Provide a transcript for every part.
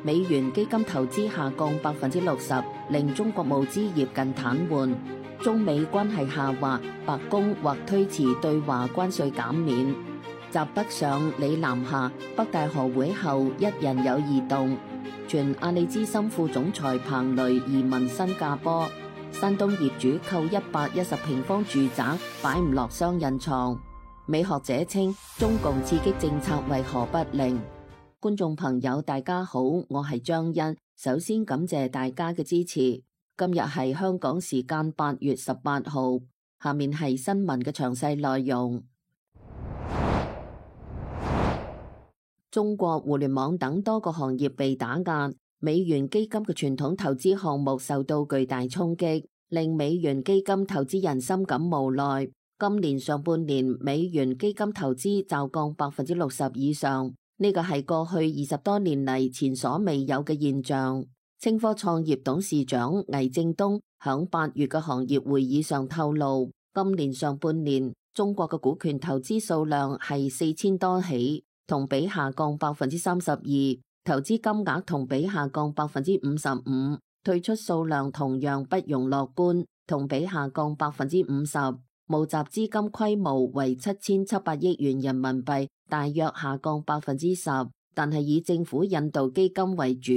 美元基金投資下降60%，令中國募資業近癱瘓。中美關係下滑，白宮或推遲對華關稅減免。習北上李南下，北大河會後一人有異動。傳阿里資深副總裁彭雷移民新加坡。山東業主購110平方住宅，擺唔落雙人床。美學者稱中共刺激政策為何不靈？觀眾朋友大家好，我係張欣，首先感謝大家嘅支持。今日係香港時間8月18號，下面係新聞嘅詳細內容。中國互聯網等多個行業被打壓，美元基金嘅傳統投資項目受到巨大衝擊，令美元基金投資人深感無奈。今年上半年美元基金投資驟降60%以上，呢個係過去20多年嚟前所未有嘅現象。清科創業董事長魏正東響8月嘅行業會議上透露，今年上半年中國嘅股權投資數量係4000多起，同比下降32%，投資金額同比下降55%，退出數量同樣不容樂觀，同比下降50%，募集資金規模為7700億元人民幣，大約下降10%，但係以政府引導基金為主。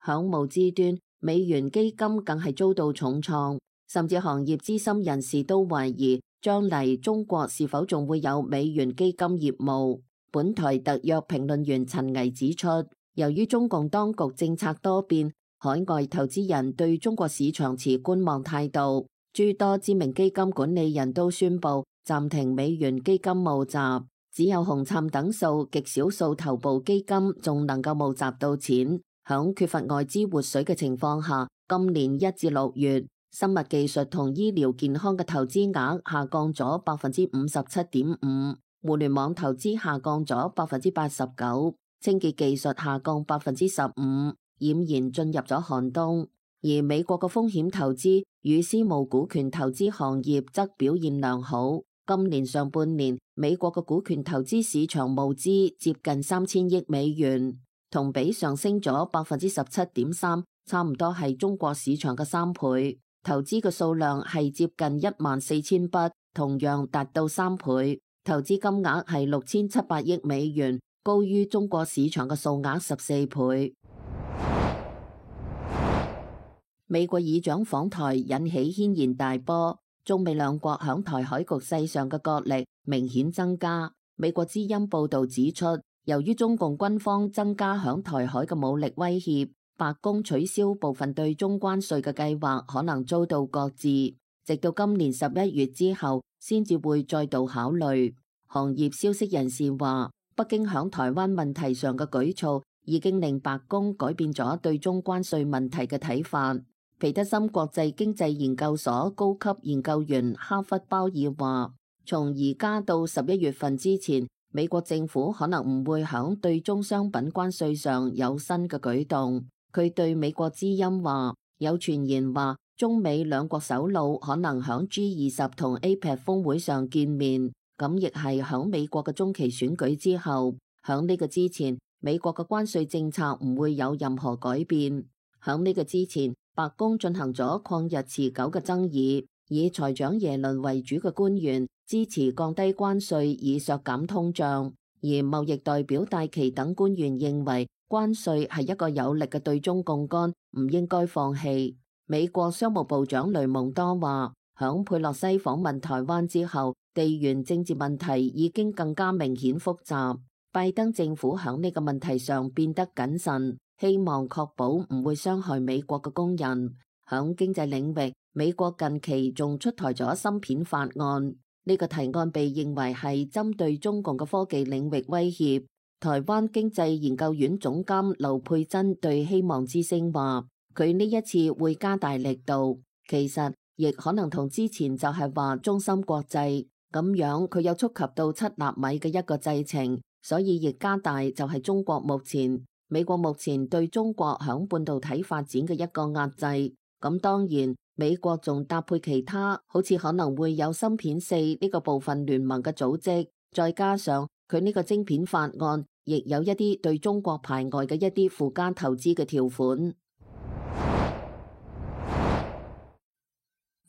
響募資端，美元基金更係遭到重創，甚至行業資深人士都懷疑將嚟中國是否仲會有美元基金業務。本台特約評論員陳毅指出，由於中共當局政策多變，海外投資人對中國市場持觀望態度，諸多知名基金管理人都宣布暫停美元基金募集，只有紅杉等數極少數頭部基金仲能夠募集到錢。響缺乏外資活水嘅情況下，今年1至6月，生物技術同醫療健康嘅投資額下降咗57.5%，互聯網投資下降咗89%，清潔技術下降15%，儼然進入咗寒冬。而美國嘅風險投資與私募股權投資行業則表現良好。今年上半年，美國嘅股權投資市場募資接近3000億美元。同比上升咗17.3%，差唔多係中國市場嘅3倍。投資嘅數量係接近14000筆，同樣達到3倍。投資金額係6700億美元，高於中國市場嘅數額14倍。美國議長訪台引起軒然大波，中美兩國響台海局勢上嘅角力明顯增加。美國之音報道指出，由於中共軍方增加響台海嘅武力威脅，白宮取消部分對中關稅嘅計劃可能遭到擱置，直到今年11月之後先至會再度考慮。行業消息人士話，北京響台灣問題上嘅舉措已經令白宮改變咗對中關稅問題嘅睇法。皮德森國際經濟研究所高級研究員哈弗鮑爾話，從而家到11月份之前，美國政府可能唔會響對中商品關稅上有新嘅舉動。佢對美國之音話，有傳言話中美兩國首腦可能響 G20 同 APEC 峰會上見面，咁亦係響美國嘅中期選舉之後。響呢個之前，美國嘅關稅政策唔會有任何改變。響呢個之前，白宮進行咗曠日持久嘅爭議，以財長耶倫為主嘅官員支持降低關稅以削減通脹，而貿易代表戴琪等官員認為關稅係一個有力嘅對中槓桿，唔應該放棄。美國商務部長雷蒙多話，響佩洛西訪問台灣之後，地緣政治問題已經更加明顯複雜。拜登政府響呢個問題上變得謹慎，希望確保唔會傷害美國嘅工人。響經濟領域，美國近期仲出台咗芯片法案，呢個提案被認為係針對中共嘅科技領域威脅。台灣經濟研究院總監劉佩珍對希望之聲話，佢呢一次會加大力度，其實亦可能同之前就係話中芯國際咁樣，佢有觸及到7納米嘅一個製程，所以亦加大就係中國美國目前對中國響半導體發展嘅一個壓制。咁當然，美國仲搭配其他，好似可能會有芯片4呢個部分聯盟嘅組織，再加上佢呢個晶片法案，亦有一啲對中國排外嘅一啲附加投資嘅條款。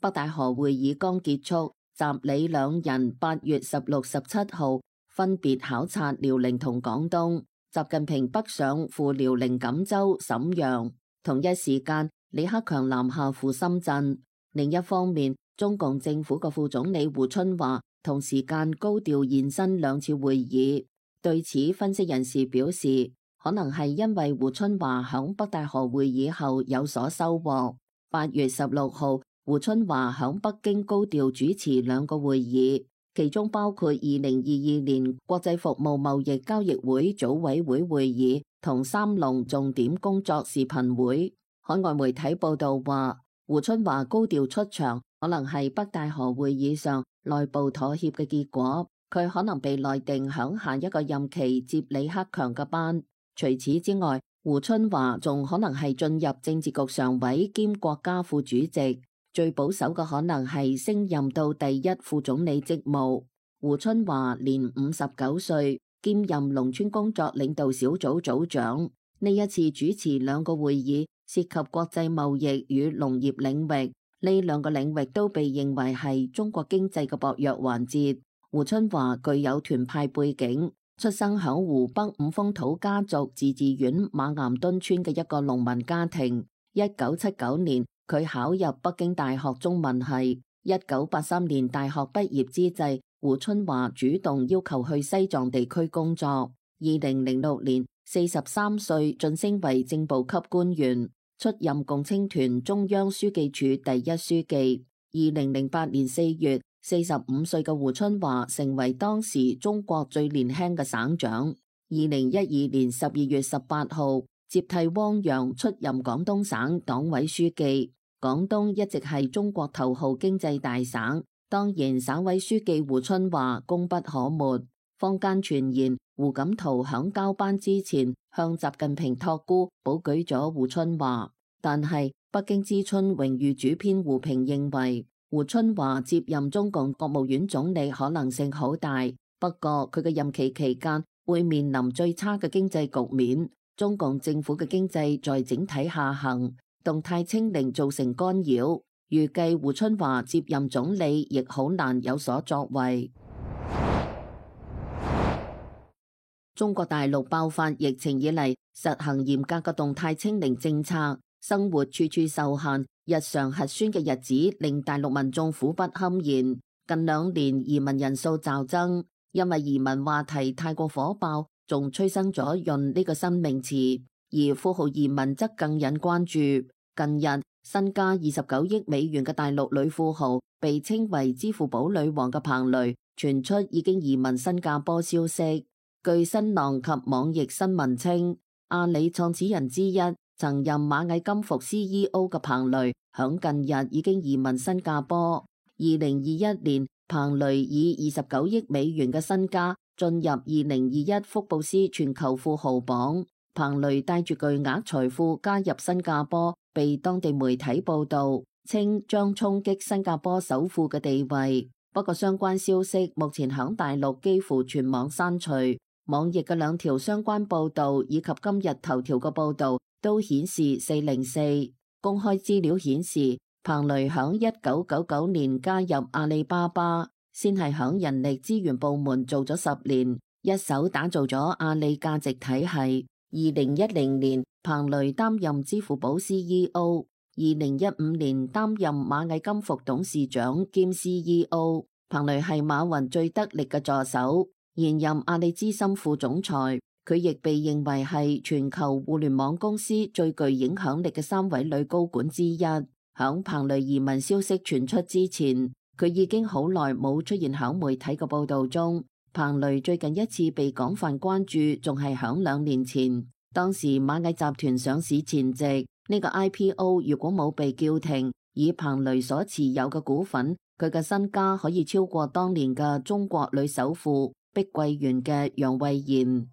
北戴河會議剛結束，習李兩人8月16、17號分別考察遼寧同廣東。習近平北上赴遼寧錦州、瀋陽，同一時間李克強南下赴深圳。另一方面，中共政府嘅副總理胡春華同時間高調現身兩次會議。對此，分析人士表示，可能係因為胡春華響北戴河會議後有所收穫。8月16號，胡春華響北京高調主持兩個會議，其中包括2022年國際服務貿易交易會組委會會議同三農重點工作視頻會。海外媒體報道話，胡春華高調出場，可能係北戴河會議上內部妥協嘅結果。佢可能被內定響下一個任期接李克強嘅班。除此之外，胡春華仲可能係進入政治局常委兼國家副主席。最保守嘅可能係升任到第一副總理職務。胡春華年59歲，兼任農村工作領導小組組長。呢一次主持兩個會議，涉及國際貿易與農業領域，呢兩個領域都被認為係中國經濟嘅薄弱環節。胡春華具有團派背景，出生響湖北五峰土家族自治縣馬岩墩村嘅一個農民家庭。1979年，佢考入北京大學中文系。1983年大學畢業之際，胡春華主動要求去西藏地區工作。2006年，43歲晉升為正部級官員，出任共青團中央書記處第一書記。2008年4月，45歲嘅胡春華成為當時中國最年輕嘅省長。2012年12月18號，接替汪洋出任廣東省黨委書記。廣東一直係中國頭號經濟大省，當然省委書記胡春華功不可沒。坊間傳言胡錦濤響交班之前向習近平託孤，保舉咗胡春華。但係北京之春榮譽主編胡平認為，胡春華接任中共國務院總理可能性好大，不過佢嘅任期期間會面臨最差嘅經濟局面，中共政府嘅經濟在整體下行，動態清零造成干擾，預計胡春華接任總理亦好難有所作為。中國大陸爆發疫情以嚟，實行嚴格嘅動態清零政策，生活處處受限，日常核酸嘅日子令大陸民眾苦不堪言。近2年移民人數驟增，因為移民話題太過火爆，仲催生咗潤呢個新名詞，而富豪移民則更引關注。近日，身家29億美元嘅大陸女富豪，被稱為支付寶女王嘅彭蕾，傳出已經移民新加坡消息。據新浪及網易新聞稱，阿里創始人之一、曾任螞蟻金服 CEO 嘅彭蕾，響近日已經移民新加坡。2021年，彭蕾以29億美元嘅身家進入2021福布斯全球富豪榜。彭蕾帶住巨額財富加入新加坡，被當地媒體報道，稱將衝擊新加坡首富嘅地位。不過相關消息目前響大陸幾乎全網刪除。網易嘅2條相關報道以及今日頭條嘅報道都顯示404。公開資料顯示，彭蕾響1999年加入阿里巴巴，先係響人力資源部門做咗10年，一手打造咗阿里價值體系。2010年，彭蕾擔任支付寶 CEO， 2015年擔任螞蟻金服董事長兼 CEO。彭蕾係馬雲最得力嘅助手，現任阿里資深副總裁。佢亦被認為係全球互聯網公司最具影響力嘅3位女高管之一。響彭蕾移民消息傳出之前，佢已經好耐冇出現響媒體嘅報道中。彭蕾最近一次被廣泛關注，仲係響2年前，當時螞蟻集團上市前夕，呢個 IPO 如果冇被叫停，以彭蕾所持有嘅股份，佢嘅身家可以超過當年嘅中國女首富碧桂園嘅楊惠妍。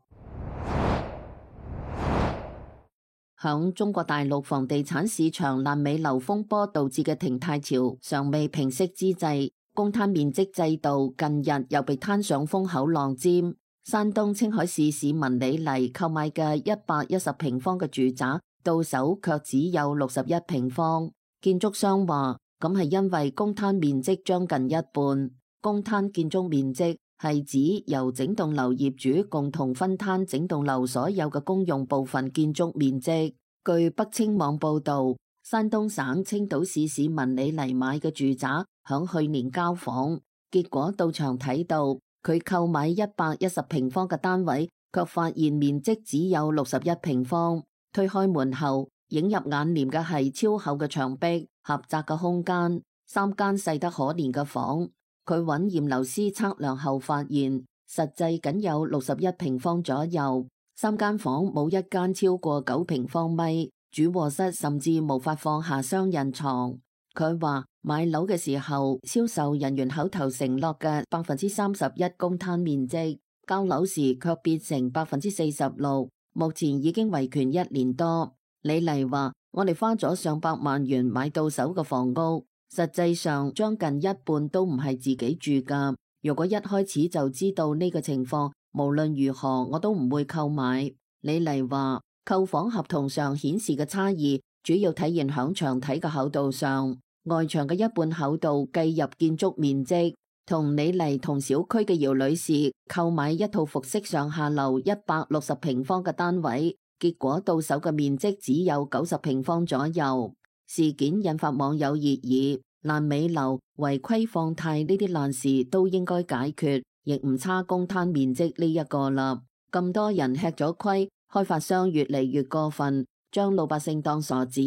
響中國大陸房地產市場爛尾樓風波導致嘅停貸潮尚未平息之際，公攤面積制度近日又被攤上風口浪尖。山東青海市市民李麗購買嘅110平方嘅住宅，到手卻只有61平方。建築商話，咁係因為公攤面積將近一半。公攤建築面積係指由整棟樓業主共同分攤整棟樓所有嘅公用部分建築面積。據北青網報道，山東省青島市市民李麗買嘅住宅響去年交房，結果到場睇到佢購買110平方嘅單位，卻發現面積只有61平方。推開門後，映入眼簾嘅係超厚嘅牆壁、狹窄嘅空間、三間細得可憐嘅房。佢揾驗樓師測量後發現，實際僅有61平方左右。三間房冇一間超過9平方米，主臥室甚至無法放下雙人床。佢話買樓嘅時候，銷售人員口頭承諾嘅31%公攤面積，交樓時卻變成46%，目前已經維權1年多。李麗話：我哋花咗上百萬元買到手嘅房屋，實際上將近一半都唔係自己住噶。如果一開始就知道呢個情況，無論如何我都唔會購買。李麗話：購房合同上顯示嘅差異，主要體現響牆體嘅厚度上，外牆嘅一半厚度計入建築面積。同李麗同小區嘅姚女士購買一套複式上下樓160平方嘅單位，結果到手嘅面積只有90平方左右。事件引發網友熱議，爛尾樓、違規放貸呢啲爛事都應該解決，亦唔差公攤面積呢一個啦。咁多人吃咗虧，開發商越嚟越過分，將老百姓當傻子。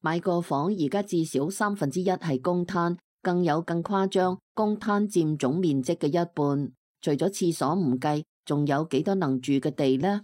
買個房而家至少1/3係公攤，更有更誇張，公攤佔總面積嘅一半。除咗廁所唔計，仲有幾多能住嘅地呢？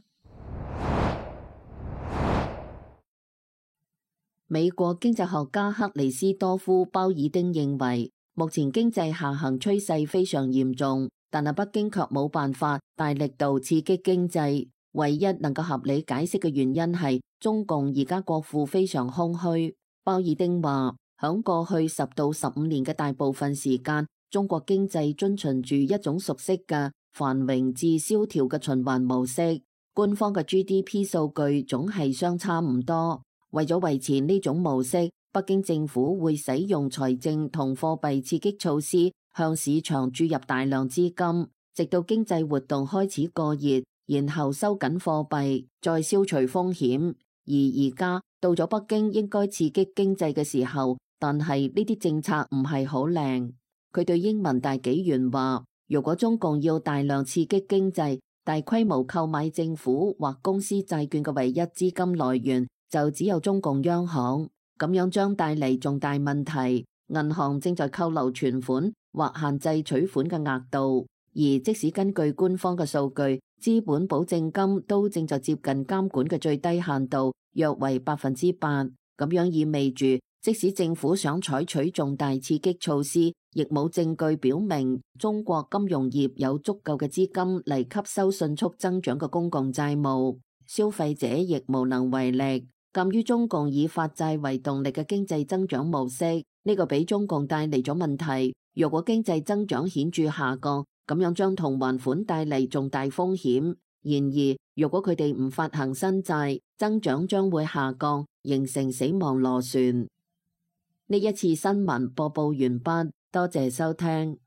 美國經濟學家克里斯多夫·鮑爾丁認為，目前經濟下行趨勢非常嚴重，但係北京卻冇辦法大力度刺激經濟。唯一能夠合理解釋嘅原因係中共而家國庫非常空虛。鮑爾丁話，響過去10到15年嘅大部分時間，中國經濟遵循住一種熟悉嘅繁榮至蕭條嘅循環模式，官方嘅 GDP 數據總係相差唔多。為咗維持呢種模式，北京政府會使用財政同貨幣刺激措施，向市場注入大量資金，直到經濟活動開始過熱，然後收緊貨幣，再消除風險。而家到咗北京應該刺激經濟嘅時候，但係呢啲政策唔係好靚。佢對英文大紀元話：如果中共要大量刺激經濟，大規模購買政府或公司債券嘅唯一資金來源，就只有中共央行，咁樣將帶嚟重大問題。銀行正在扣留存款或限制取款嘅額度，而即使根據官方嘅數據，資本保證金都正在接近監管嘅最低限度，約為8%。咁樣意味住，即使政府想採取重大刺激措施，亦冇證據表明中國金融業有足夠嘅資金嚟吸收迅速增長嘅公共債務，消費者亦無能為力。鑒於中共以發債為動力嘅經濟增長模式，呢個俾中共帶嚟咗問題。若果經濟增長顯著下降，咁樣將同還款帶嚟重大風險。然而，如果佢哋唔發行新債，增長將會下降，形成死亡螺旋。呢一次新聞播報完畢，多謝收聽。